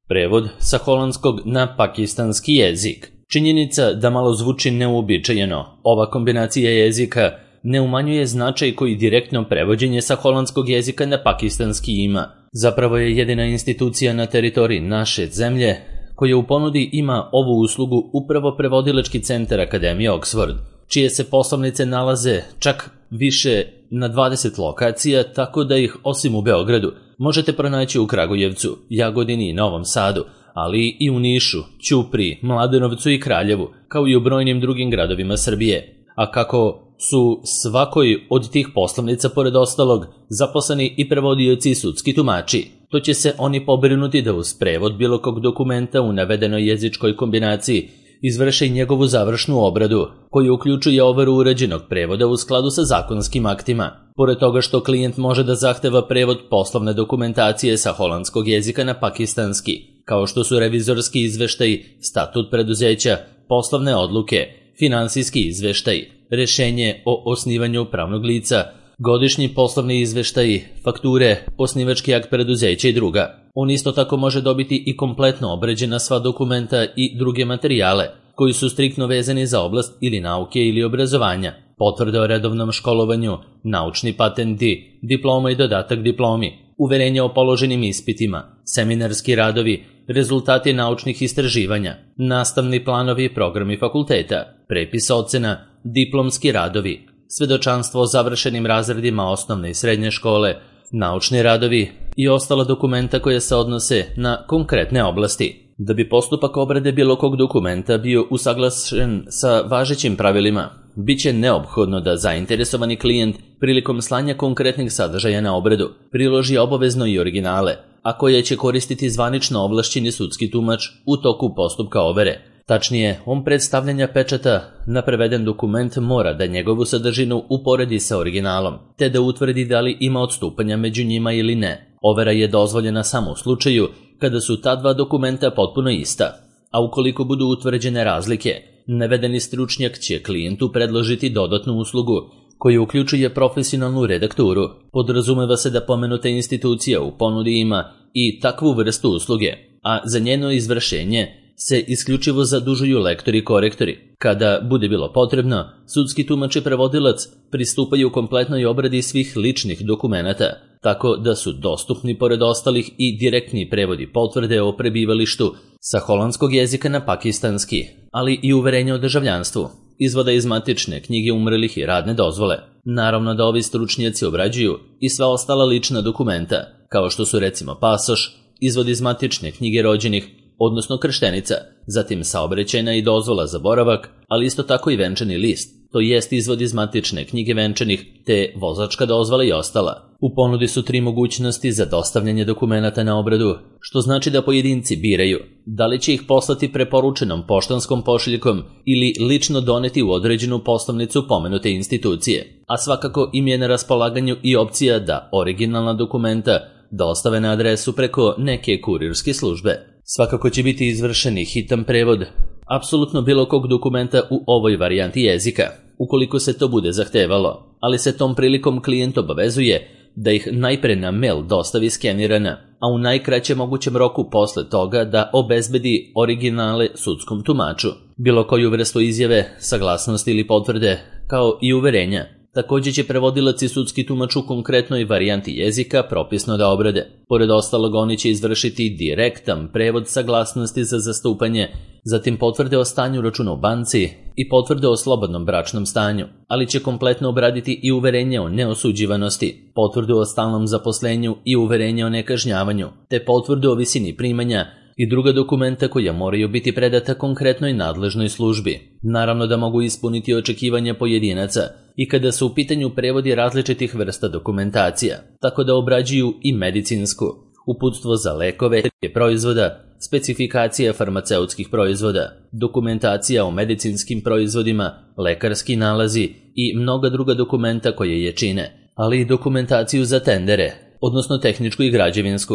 Prevod sa holandskog na pakistanski jezik. Činjenica da malo zvuči neuobičajeno, ova kombinacija jezika ne umanjuje značaj koji direktno prevođenje sa holandskog jezika na pakistanski ima. Zapravo je jedina institucija na teritoriji naše zemlje koja u ponudi ima ovu uslugu upravo prevodilački centar Akademije Oxford, čije se poslovnice nalaze čak više na 20 lokacija, tako da ih osim u Beogradu možete pronaći u Kragujevcu, Jagodini i Novom Sadu, ali i u Nišu, Ćupriji, Mladenovcu i Kraljevu, kao i u brojnim drugim gradovima Srbije. A kako su svakoj od tih poslovnica, pored ostalog, zaposleni i prevodioci i sudski tumači, to će se oni pobrinuti da uz prevod bilo kog dokumenta u navedenoj jezičkoj kombinaciji izvrše i njegovu završnu obradu, koju uključuje overu urađenog prevoda u skladu sa zakonskim aktima. Pored toga što klijent može da zahteva prevod poslovne dokumentacije sa holandskog jezika na pakistanski, kao što su revizorski izveštaj, statut preduzeća, poslovne odluke, finansijski izveštaj, rešenje o osnivanju pravnog lica, godišnji poslovni izveštaji, fakture, osnivački akt preduzeća i druga. On isto tako može dobiti i kompletno obrađena sva dokumenta i druge materijale koji su striktno vezani za oblast ili nauke ili obrazovanja, potvrde o redovnom školovanju, naučni patenti, diploma i dodatak diplomi, uverenja o položenim ispitima, seminarski radovi, rezultati naučnih istraživanja, nastavni planovi i programi fakulteta, prepis ocena, diplomski radovi, svedočanstvo o završenim razredima osnovne i srednje škole, naučni radovi i ostala dokumenta koja se odnose na konkretne oblasti. Da bi postupak obrade bilo kog dokumenta bio usaglašen sa važećim pravilima, bit će neophodno da zainteresovani klijent prilikom slanja konkretnih sadržaja na obradu priloži obavezno i originale, a koje će koristiti zvanično ovlašćeni sudski tumač u toku postupka overe. Tačnije, on predstavljanja pečata na preveden dokument mora da njegovu sadržinu uporedi sa originalom, te da utvrdi da li ima odstupanja među njima ili ne. Overa je dozvoljena samo u slučaju kada su ta dva dokumenta potpuno ista, a ukoliko budu utvrđene razlike, navedeni stručnjak će klijentu predložiti dodatnu uslugu koja uključuje profesionalnu redakturu. Podrazumeva se da pomenuta institucija u ponudi ima i takvu vrstu usluge, a za njeno izvršenje se isključivo zadužuju lektori i korektori. Kada bude bilo potrebno, sudski tumač i prevodilac pristupaju kompletnoj obradi svih ličnih dokumenata, tako da su dostupni pored ostalih i direktni prevodi potvrde o prebivalištu sa holandskog jezika na pakistanski, ali i uverenja o državljanstvu, izvoda iz matične knjige umrlih i radne dozvole. Naravno da ovi stručnjaci obrađuju i sva ostala lična dokumenta, kao što su recimo pasoš, izvod iz matične knjige rođenih, odnosno krštenica, zatim saobraćajna i dozvola za boravak, ali isto tako i venčani list, to jest izvod iz matične knjige venčanih, te vozačka dozvola i ostala. U ponudi su 3 mogućnosti za dostavljanje dokumenata na obradu, što znači da pojedinci biraju da li će ih poslati preporučenom poštanskom pošiljkom ili lično doneti u određenu poslovnicu pomenute institucije, a svakako im je na raspolaganju i opcija da originalna dokumenta dostave na adresu preko neke kurirske službe. Svakako će biti izvršen i hitan prevod apsolutno bilo kog dokumenta u ovoj varijanti jezika, ukoliko se to bude zahtevalo, ali se tom prilikom klijent obavezuje da ih najpre na mail dostavi skenirana, a u najkraćem mogućem roku posle toga da obezbedi originale sudskom tumaču, bilo koju vrstu izjave, saglasnosti ili potvrde, kao i uverenja. Također će prevodilac i sudski tumač u konkretnoj varijanti jezika propisno da obrade. Pored ostalog, oni će izvršiti direktan prevod saglasnosti za zastupanje, zatim potvrde o stanju računa u banci i potvrde o slobodnom bračnom stanju, ali će kompletno obraditi i uverenje o neosuđivanosti, potvrdu o stalnom zaposlenju i uverenje o nekažnjavanju, te potvrdu o visini primanja i druga dokumenta koja moraju biti predata konkretnoj nadležnoj službi. Naravno da mogu ispuniti očekivanja pojedinaca i kada su u pitanju prevodi različitih vrsta dokumentacija, tako da obrađuju i medicinsku, uputstvo za lekove, proizvoda, specifikacija farmaceutskih proizvoda, dokumentacija o medicinskim proizvodima, lekarski nalazi i mnoga druga dokumenta koje je čine, ali i dokumentaciju za tendere, odnosno tehničku i građevinsku,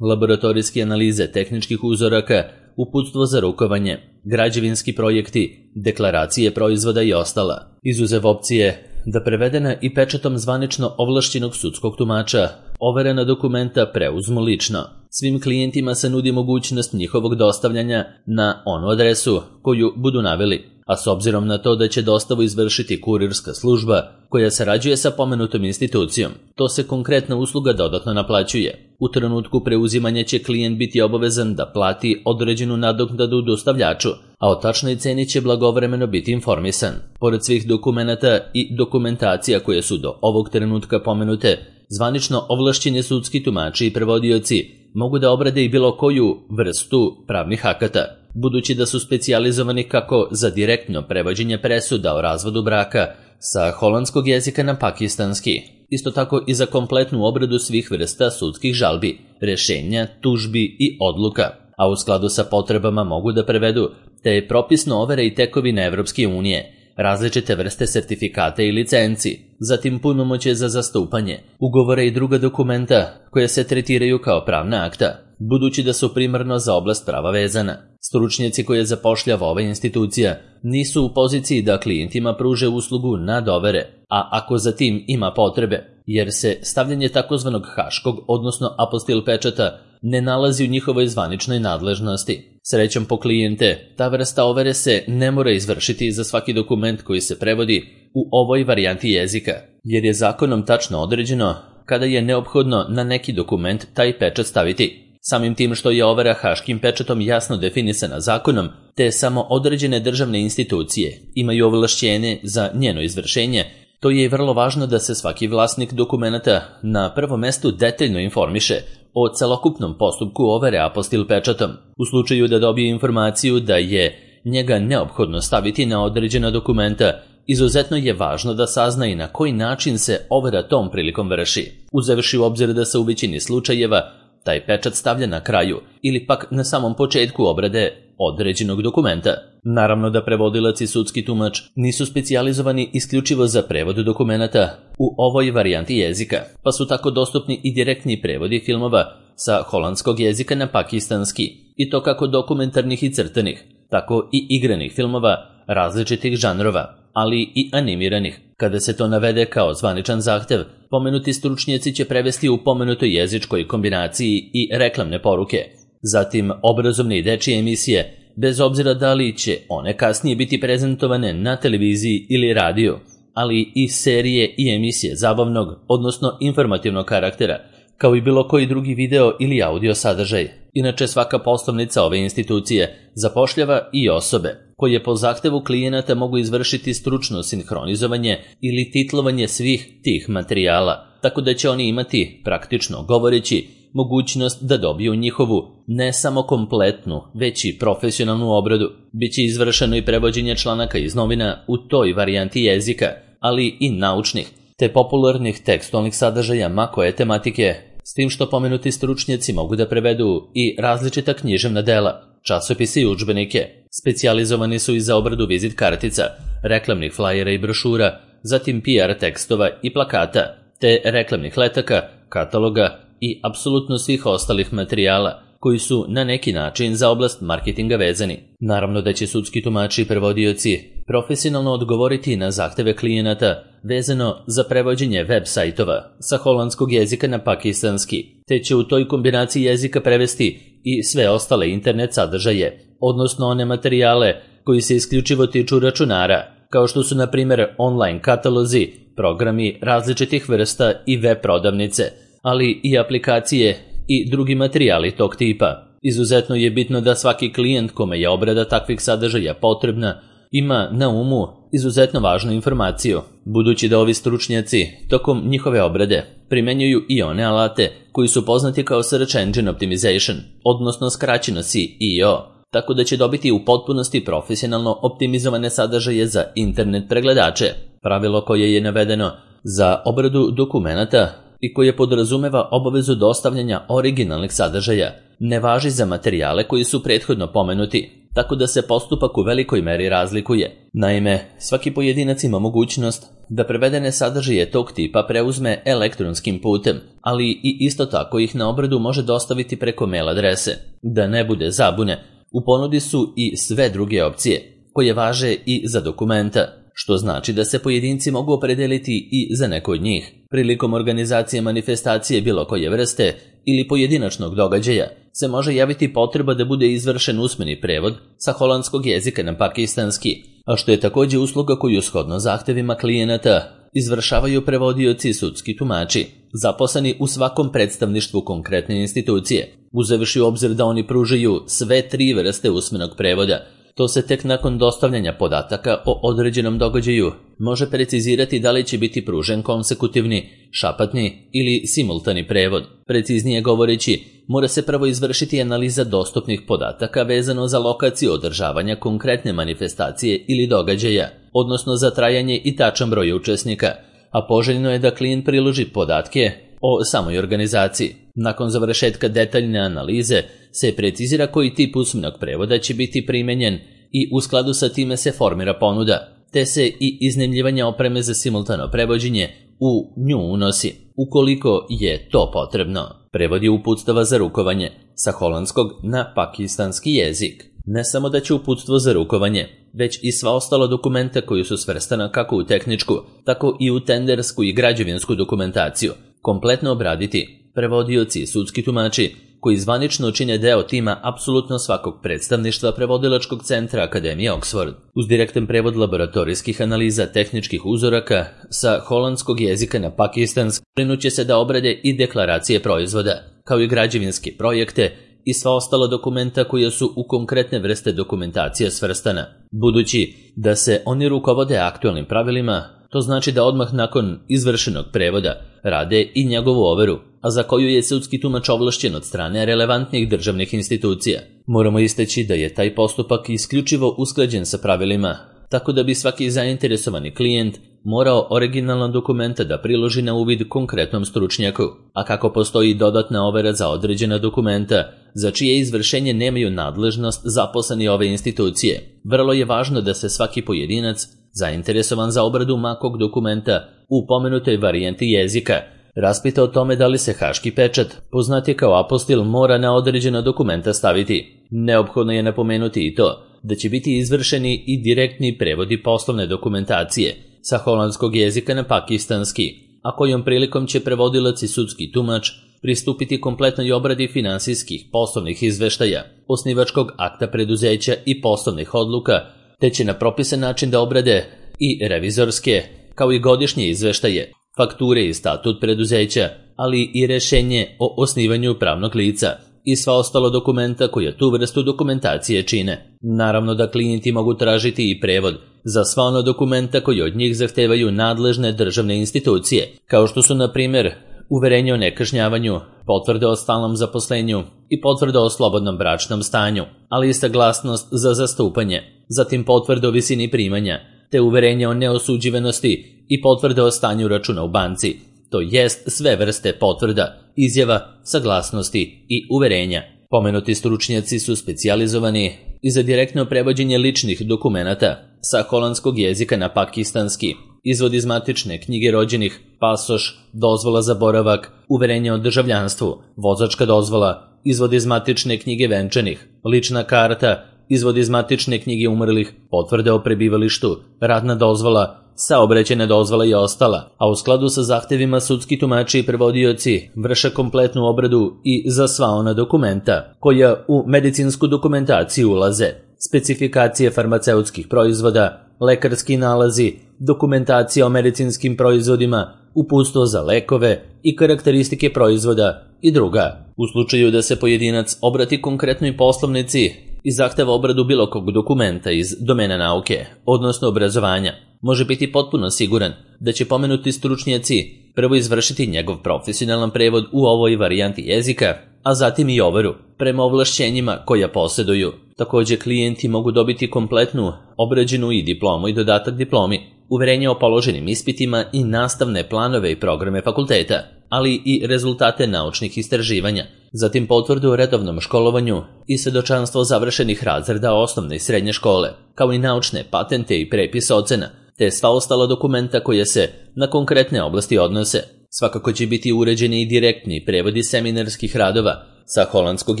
laboratorijske analize tehničkih uzoraka, uputstvo za rukovanje, građevinski projekti, deklaracije proizvoda i ostala. Izuzev opcije da prevedena i pečatom zvanično ovlašćenog sudskog tumača overena dokumenta preuzmu lično. Svim klijentima se nudi mogućnost njihovog dostavljanja na onu adresu koju budu naveli, a s obzirom na to da će dostavu izvršiti kurirska služba koja sarađuje sa pomenutom institucijom, to se konkretna usluga dodatno naplaćuje. U trenutku preuzimanja će klijent biti obavezan da plati određenu nadoknadu dostavljaču, a o tačnoj ceni će blagovremeno biti informisan. Pored svih dokumenata i dokumentacija koje su do ovog trenutka pomenute, zvanično ovlašćeni sudski tumači i prevodioci mogu da obrade i bilo koju vrstu pravnih akata, budući da su specijalizovani kako za direktno prevođenje presuda o razvodu braka sa holandskog jezika na pakistanski, isto tako i za kompletnu obradu svih vrsta sudskih žalbi, rešenja, tužbi i odluka, a u skladu sa potrebama mogu da prevedu te propisno overe i tekovine Evropske unije, različite vrste sertifikata i licenci, zatim punomoćje za zastupanje, ugovore i druga dokumenta koje se tretiraju kao pravna akta, budući da su primarno za oblast prava vezana. Stručnjaci koje zapošljava ova institucija nisu u poziciji da klijentima pruže uslugu nadovere, a ako za tim ima potrebe, jer se stavljanje takozvanog haškog, odnosno apostil pečata, ne nalazi u njihovoj zvaničnoj nadležnosti. Srećom po klijente, ta vrsta overe se ne mora izvršiti za svaki dokument koji se prevodi u ovoj varijanti jezika, jer je zakonom tačno određeno kada je neophodno na neki dokument taj pečat staviti. Samim tim što je overa haškim pečatom jasno definisana zakonom, te samo određene državne institucije imaju ovlašćenje za njeno izvršenje, to je i vrlo važno da se svaki vlasnik dokumenata na prvom mestu detaljno informiše o celokupnom postupku overe apostil pečatom. U slučaju da dobije informaciju da je njega neophodno staviti na određena dokumenta, izuzetno je važno da sazna i na koji način se overa tom prilikom vrši, uzevši u obzir da se u većini slučajeva taj pečat stavlja na kraju ili pak na samom početku obrade određenog dokumenta. Naravno da prevodilac i sudski tumač nisu specijalizovani isključivo za prevod dokumenata u ovoj varijanti jezika, pa su tako dostupni i direktni prevodi filmova sa holandskog jezika na pakistanski, i to kako dokumentarnih i crtanih, tako i igranih filmova različitih žanrova, ali i animiranih. Kada se to navede kao zvaničan zahtev, pomenuti stručnjaci će prevesti u pomenutoj jezičkoj kombinaciji i reklamne poruke. Zatim obrazovne i dečije emisije, bez obzira da li će one kasnije biti prezentovane na televiziji ili radiju, ali i serije i emisije zabavnog, odnosno informativnog karaktera, kao i bilo koji drugi video ili audio sadržaj. Inače, svaka poslovnica ove institucije zapošljava i osobe koje po zahtevu klijenata mogu izvršiti stručno sinhronizovanje ili titlovanje svih tih materijala, tako da će oni imati, praktično govoreći, mogućnost da dobiju njihovu ne samo kompletnu, već i profesionalnu obradu. Biće izvršeno i prevođenje članaka iz novina u toj varijanti jezika, ali i naučnih, te popularnih tekstualnih sadržaja ma koje tematike, s tim što pomenuti stručnjaci mogu da prevedu i različita književna dela, časopise i udžbenike. Specijalizovani su i za obradu vizit kartica, reklamnih flajera i brošura, zatim PR tekstova i plakata, te reklamnih letaka, kataloga i apsolutno svih ostalih materijala koji su na neki način za oblast marketinga vezani. Naravno da će sudski tumači i prevodioci profesionalno odgovoriti na zahteve klijenata vezano za prevođenje web sajtova sa holandskog jezika na pakistanski, te će u toj kombinaciji jezika prevesti i sve ostale internet sadržaje, odnosno one materijale koji se isključivo tiču računara, kao što su na primjer online katalozi, programi različitih vrsta i web prodavnice, ali i aplikacije i drugi materijali tog tipa. Izuzetno je bitno da svaki klijent kome je obrada takvih sadržaja potrebna ima na umu izuzetno važnu informaciju, budući da ovi stručnjaci tokom njihove obrade primenjuju i one alate koji su poznati kao Search Engine Optimization, odnosno skraćeno SEO, tako da će dobiti u potpunosti profesionalno optimizovane sadržaje za internet pregledače. Pravilo koje je navedeno za obradu dokumenata i koje podrazumeva obavezu dostavljanja originalnih sadržaja ne važi za materijale koji su prethodno pomenuti, tako da se postupak u velikoj meri razlikuje. Naime, svaki pojedinac ima mogućnost da prevedene sadržaje tog tipa preuzme elektronskim putem, ali i isto tako ih na obradu može dostaviti preko mail adrese. Da ne bude zabune, u ponudi su i sve druge opcije, koje važe i za dokumenta. što znači da se pojedinci mogu opredeliti i za neko od njih. Prilikom organizacije manifestacije bilo koje vrste ili pojedinačnog događaja se može javiti potreba da bude izvršen usmeni prevod sa holandskog jezika na pakistanski, a što je također usluga koju shodno zahtevima klijenata izvršavaju prevodioci i sudski tumači, zaposleni u svakom predstavništvu konkretne institucije, uzevši u obzir da oni pružaju sve 3 vrste usmenog prevoda. To se tek nakon dostavljanja podataka o određenom događaju može precizirati da li će biti pružen konsekutivni, šapatni ili simultani prevod. Preciznije govoreći, mora se prvo izvršiti analiza dostupnih podataka vezano za lokaciju održavanja konkretne manifestacije ili događaja, odnosno za trajanje i tačan broj učesnika, a poželjno je da klijent priloži podatke o samoj organizaciji. Nakon završetka detaljne analize se precizira koji tip usmenog prevoda će biti primenjen i u skladu sa time se formira ponuda, te se i iznajmljivanje opreme za simultano prevođenje u nju unosi, ukoliko je to potrebno. Prevod je uputstava za rukovanje sa holandskog na pakistanski jezik. Ne samo da će uputstvo za rukovanje, već i sva ostala dokumenta koji su svrstana kako u tehničku, tako i u tendersku i građevinsku dokumentaciju kompletno obraditi prevodioci i sudski tumači koji zvanično čine deo tima apsolutno svakog predstavništva prevodilačkog centra Akademije Oxford. Uz direktan prevod laboratorijskih analiza tehničkih uzoraka sa holandskog jezika na pakistanski brinuće se da obrade i deklaracije proizvoda, kao i građevinske projekte i sva ostala dokumenta koja su u konkretne vrste dokumentacije svrstana. Budući da se oni rukovode aktualnim pravilima, to znači da odmah nakon izvršenog prevoda rade i njegovu overu, a za koju je sudski tumač ovlašćen od strane relevantnih državnih institucija. Moramo istaći da je taj postupak isključivo usklađen sa pravilima, tako da bi svaki zainteresovani klijent morao originalna dokumenta da priloži na uvid konkretnom stručnjaku, a kako postoji dodatna overa za određena dokumenta, za čije izvršenje nemaju nadležnost zaposleni ove institucije, vrlo je važno da se svaki pojedinac zainteresovan za obradu makog dokumenta u pomenutoj varijenti jezika raspita o tome da li se haški pečat, poznati kao apostil, mora na određena dokumenta staviti. Neophodno je napomenuti i to da će biti izvršeni i direktni prevodi poslovne dokumentacije sa holandskog jezika na pakistanski, a kojom prilikom će prevodilac i sudski tumač pristupiti kompletnoj obradi finansijskih poslovnih izveštaja, osnivačkog akta preduzeća i poslovnih odluka, te će na propisan način da obrade i revizorske, kao i godišnje izveštaje, fakture i statut preduzeća, ali i rešenje o osnivanju pravnog lica i sva ostala dokumenta koja tu vrstu dokumentacije čine. Naravno da klijenti mogu tražiti i prevod za sva ona dokumenta koji od njih zahtevaju nadležne državne institucije, kao što su na primjer uverenje o nekažnjavanju, potvrde o stalnom zaposlenju i potvrde o slobodnom bračnom stanju, ali i saglasnost za zastupanje, zatim potvrde o visini primanja, te uverenje o neosuđivanosti i potvrde o stanju računa u banci, to jest sve vrste potvrda, izjava, saglasnosti i uverenja. Pomenuti stručnjaci su specijalizovani i za direktno prevođenje ličnih dokumenata sa holandskog jezika na pakistanski, izvod iz matične knjige rođenih, pasoš, dozvola za boravak, uverenje o državljanstvu, vozačka dozvola, izvod iz matične knjige venčanih, lična karta, izvod iz matične knjige umrlih, potvrde o prebivalištu, radna dozvola, saobraćajna dozvola i ostala, a u skladu sa zahtevima sudski tumači i prevodioci vrše kompletnu obradu i za sva ona dokumenta koja u medicinsku dokumentaciju ulaze: specifikacije farmaceutskih proizvoda, lekarski nalazi, dokumentacija o medicinskim proizvodima, uputstvo za lekove i karakteristike proizvoda i druga. U slučaju da se pojedinac obrati konkretnoj poslovnici i zahteva obradu bilo kog dokumenta iz domena nauke, odnosno obrazovanja, može biti potpuno siguran da će pomenuti stručnjaci prvo izvršiti njegov profesionalan prevod u ovoj varijanti jezika, a zatim i overu prema ovlašćenjima koja posjeduju. Također klijenti mogu dobiti kompletnu obrađenu i diplomu i dodatak diplomi, uverenje o položenim ispitima i nastavne planove i programe fakulteta, ali i rezultate naučnih istraživanja, zatim potvrdu o redovnom školovanju i svedočanstvo završenih razreda osnovne i srednje škole, kao i naučne patente i prepis ocena, te sva ostala dokumenta koja se na konkretne oblasti odnose. Svakako će biti uređeni i direktni prevodi seminarskih radova sa holandskog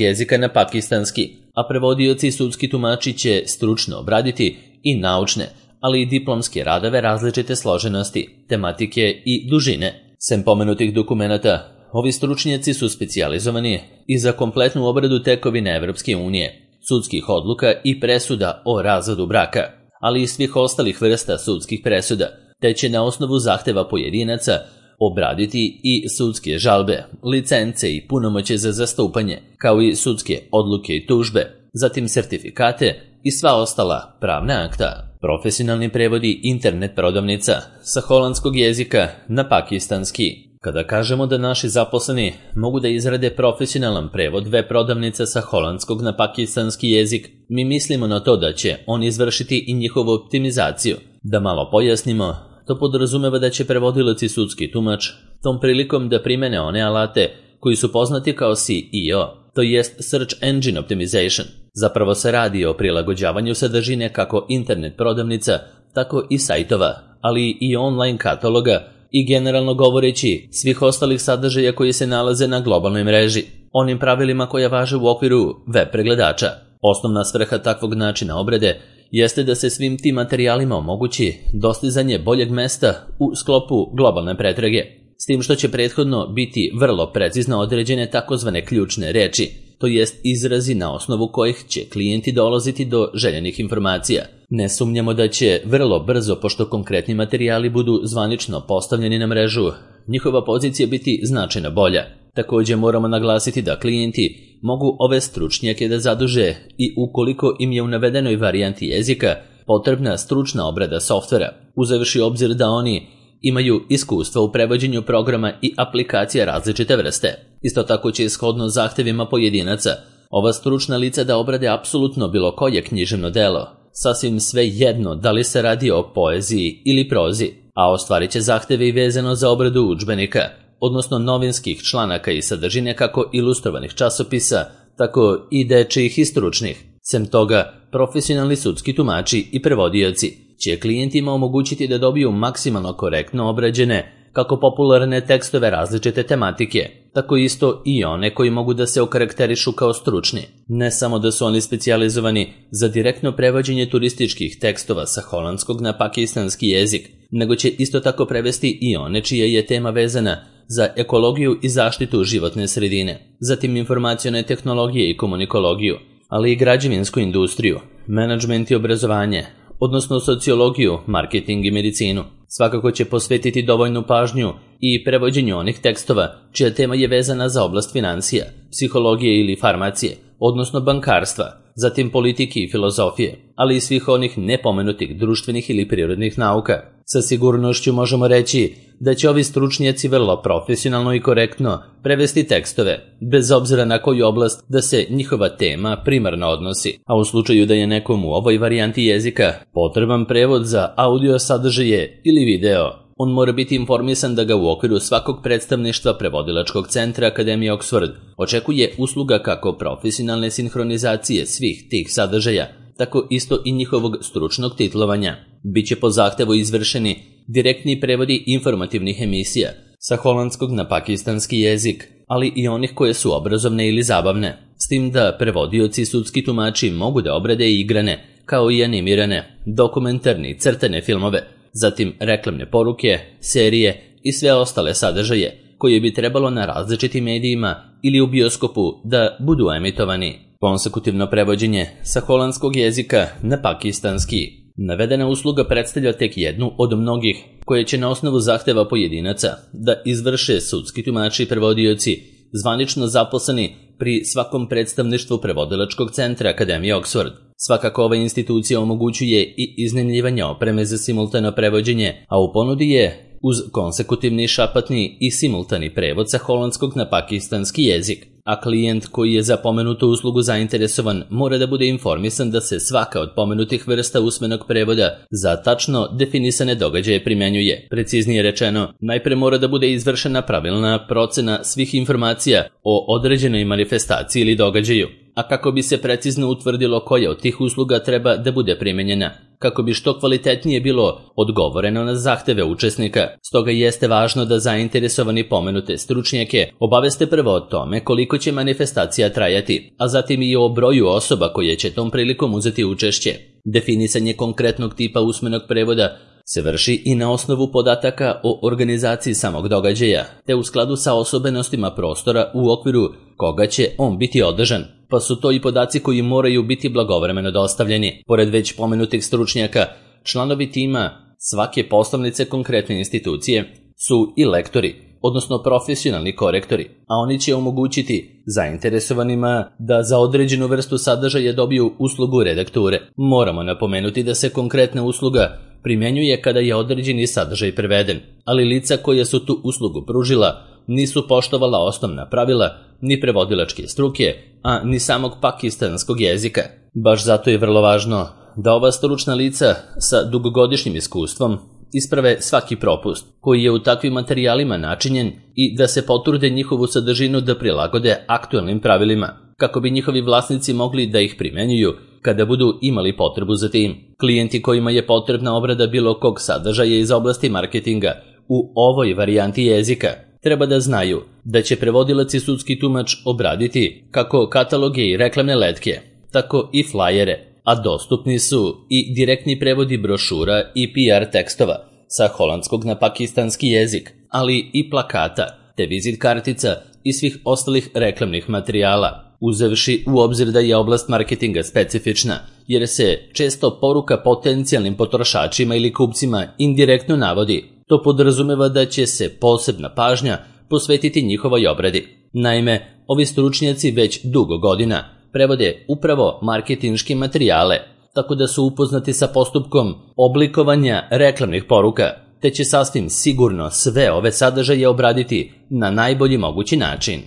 jezika na pakistanski, a prevodioci i sudski tumači će stručno obraditi i naučne, ali i diplomske radove različite složenosti, tematike i dužine. Sem pomenutih dokumenata, ovi stručnjaci su specijalizovani i za kompletnu obradu tekovine Evropske unije, sudskih odluka i presuda o razvodu braka, ali i svih ostalih vrsta sudskih presuda, te će na osnovu zahteva pojedinaca obraditi i sudske žalbe, licence i punomoće za zastupanje, kao i sudske odluke i tužbe, zatim sertifikate i sva ostala pravna akta. Profesionalni prevodi internet prodavnica sa holandskog jezika na pakistanski. Kada kažemo da naši zaposleni mogu da izrade profesionalan prevod web prodavnica sa holandskog na pakistanski jezik, mi mislimo na to da će on izvršiti i njihovu optimizaciju. Da malo pojasnimo, to podrazumeva da će prevodilac i sudski tumač tom prilikom da primene one alate koji su poznati kao SEO, to jest Search Engine Optimization. Zapravo se radi o prilagođavanju sadržine kako internet prodavnica, tako i sajtova, ali i online kataloga i generalno govoreći svih ostalih sadržaja koji se nalaze na globalnoj mreži, onim pravilima koja važe u okviru web pregledača. Osnovna svrha takvog načina obrade jeste da se svim tim materijalima omogući dostizanje boljeg mesta u sklopu globalne pretrage, s tim što će prethodno biti vrlo precizno određene takozvane ključne reči, to jest izrazi na osnovu kojih će klijenti dolaziti do željenih informacija. Ne sumnjamo da će vrlo brzo, pošto konkretni materijali budu zvanično postavljeni na mrežu, njihova pozicija biti značajno bolja. Također moramo naglasiti da klijenti mogu ove stručnjake da zaduže i ukoliko im je u navedenoj varijanti jezika potrebna stručna obrada softvera, uzevši obzir da oni imaju iskustva u prevođenju programa i aplikacija različite vrste. Isto tako će ishodno zahtevima pojedinaca ova stručna lica da obrade apsolutno bilo koje književno delo, sasvim sve jedno da li se radi o poeziji ili prozi, a ostvarit će zahteve i vezano za obradu udžbenika, odnosno novinskih članaka i sadržine kako ilustrovanih časopisa, tako i dečijih i stručnih. Sem toga, profesionalni sudski tumači i prevodioci će klijentima omogućiti da dobiju maksimalno korektno obrađene kako popularne tekstove različite tematike, tako isto i one koji mogu da se okarakterišu kao stručni. Ne samo da su oni specijalizovani za direktno prevođenje turističkih tekstova sa holandskog na pakistanski jezik, nego će isto tako prevesti i one čija je tema vezana za ekologiju i zaštitu životne sredine, zatim informacione tehnologije i komunikologiju, ali i građevinsku industriju, menadžment i obrazovanje, odnosno sociologiju, marketing i medicinu. Svakako će posvetiti dovoljnu pažnju i prevođenju onih tekstova čija tema je vezana za oblast financija, psihologije ili farmacije, odnosno bankarstva, zatim politike i filozofije, ali i svih onih nepomenutih društvenih ili prirodnih nauka. Sa sigurnošću možemo reći da će ovi stručnjaci vrlo profesionalno i korektno prevesti tekstove, bez obzira na koju oblast da se njihova tema primarno odnosi. A u slučaju da je nekom u ovoj varijanti jezika potreban prevod za audio sadržaje ili video, on mora biti informisan da ga u okviru svakog predstavništva prevodilačkog centra Akademije Oxford očekuje usluga kako profesionalne sinhronizacije svih tih sadržaja, tako isto i njihovog stručnog titlovanja. Biće po zahtevu izvršeni direktni prevodi informativnih emisija sa holandskog na pakistanski jezik, ali i onih koje su obrazovne ili zabavne, s tim da prevodioci i sudski tumači mogu da obrade i igrane, kao i animirane, dokumentarne i crtane filmove, zatim reklamne poruke, serije i sve ostale sadržaje koje bi trebalo na različitim medijima ili u bioskopu da budu emitovani. Konsekutivno prevođenje sa holandskog jezika na pakistanski. Navedena usluga predstavlja tek jednu od mnogih koje će na osnovu zahteva pojedinaca da izvrše sudski tumači i prevodioci zvanično zaposleni pri svakom predstavništvu prevodilačkog centra Akademije Oxford. Svakako ova institucija omogućuje i iznajmljivanje opreme za simultano prevođenje, a u ponudi je uz konsekutivni šapatni i simultani prevod sa holandskog na pakistanski jezik, a klijent koji je za pomenutu uslugu zainteresovan mora da bude informisan da se svaka od pomenutih vrsta usmenog prevoda za tačno definisane događaje primjenjuje. Preciznije rečeno, najpre mora da bude izvršena pravilna procena svih informacija o određenoj manifestaciji ili događaju, a kako bi se precizno utvrdilo koja od tih usluga treba da bude primjenjena, kako bi što kvalitetnije bilo odgovoreno na zahteve učesnika. Stoga jeste važno da zainteresovani pomenute stručnjake obaveste prvo o tome koliko će manifestacija trajati, a zatim i o broju osoba koje će tom prilikom uzeti učešće. Definisanje konkretnog tipa usmenog prevoda se vrši i na osnovu podataka o organizaciji samog događaja, te u skladu sa osobenostima prostora u okviru koga će on biti održan, pa su to i podaci koji moraju biti blagovremeno dostavljeni. Pored već pomenutih stručnjaka, članovi tima svake poslovnice konkretne institucije su i lektori, odnosno profesionalni korektori, a oni će omogućiti zainteresovanima da za određenu vrstu sadržaja dobiju uslugu redakture. Moramo napomenuti da se konkretna usluga primjenjuje kada je određeni sadržaj preveden, ali lica koja su tu uslugu pružila nisu poštovala osnovna pravila ni prevodilačke struke, a ni samog pakistanskog jezika. Baš zato je vrlo važno da ova stručna lica sa dugogodišnjim iskustvom isprave svaki propust koji je u takvim materijalima načinjen i da se potrude njihovu sadržinu da prilagode aktualnim pravilima, kako bi njihovi vlasnici mogli da ih primenjuju kada budu imali potrebu za tim. Klijenti kojima je potrebna obrada bilo kog sadržaja iz oblasti marketinga u ovoj varijanti jezika treba da znaju da će prevodilac i sudski tumač obraditi kako kataloge i reklamne letke, tako i flajere, a dostupni su i direktni prevodi brošura i PR tekstova sa holandskog na pakistanski jezik, ali i plakata, te vizit kartica i svih ostalih reklamnih materijala. Uzevši u obzir da je oblast marketinga specifična, jer se često poruka potencijalnim potrošačima ili kupcima indirektno navodi, to podrazumeva da će se posebna pažnja posvetiti njihovoj obradi. Naime, ovi stručnjaci već dugo godina prevode upravo marketinške materijale, tako da su upoznati sa postupkom oblikovanja reklamnih poruka, te će sasvim sigurno sve ove sadržaje obraditi na najbolji mogući način.